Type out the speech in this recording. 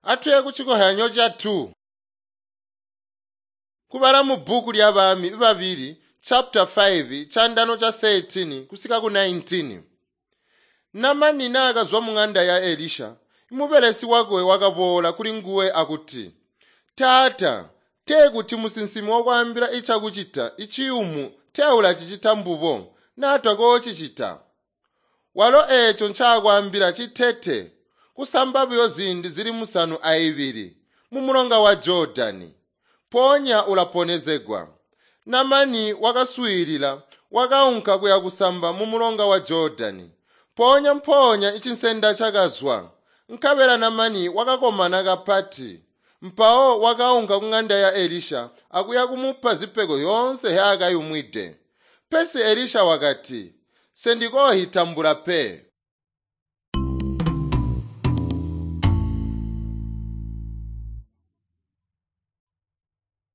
Atuye kucikohyanyo ca 2. Kubala mu bbuku lya Bami babili chapter 5 chandano cha 13 kusika ku 19. Namani naakazwa mung'anda ya Elisha, mubelesi wakwe wakaboola kuli nguwe akuti, Taata, tee kuti musinsimi wakwaambila icakucita iciyumu tee ulacicita mbubo, naa tokoocicita. Walo eeco ncaakwaambila citete, kusamba buyo ziindi zili 72 mumulonga wa Jodani. Mpoonya ulaponezegwa. Namani wakaswiilila, wakaunka kuya kusamba mumulonga wa Jodani. Mpoonya mpoonya icinsenda cakazwa, nkabela Namani wakakomana kapati. Mpawo wakaunka kung'anda ya Elisha akuya kumupa zipego yoonse yaakayumwide. Pesi Elisha wakati, “Sendikoohitambula pe.